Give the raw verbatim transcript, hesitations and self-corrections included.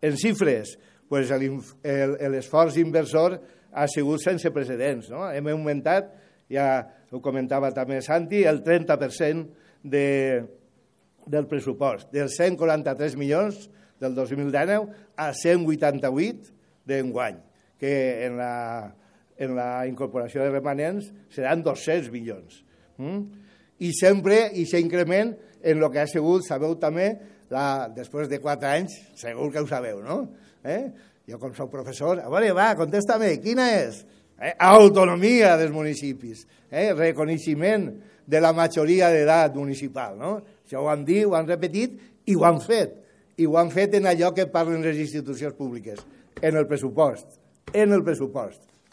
En xifres, pues l'esforç inversor ha sigut sense precedents. No? Hem augmentat, ja ho comentava també Santi, el trenta per cent de, del pressupost, dels cent quaranta-tres milions del dos mil dinou a cent vuitanta-vuit d'enguany, que en la, en la incorporació de remanents seran dos-cents milions. Mm? I sempre, i s'increment en el que ha sigut, sabeu també, la, després de quatre anys, segur que ho sabeu, no? Eh? Jo, com soc professor, a veure, va, contesta-me, quina és? Eh? Autonomia dels municipis, eh? Reconeixement de la majoria d'edat municipal, no? Això ho han dit, ho han repetit i ho han fet. I ho han fet en allò que parlen les institucions públiques, en el pressupost, en el pressupost.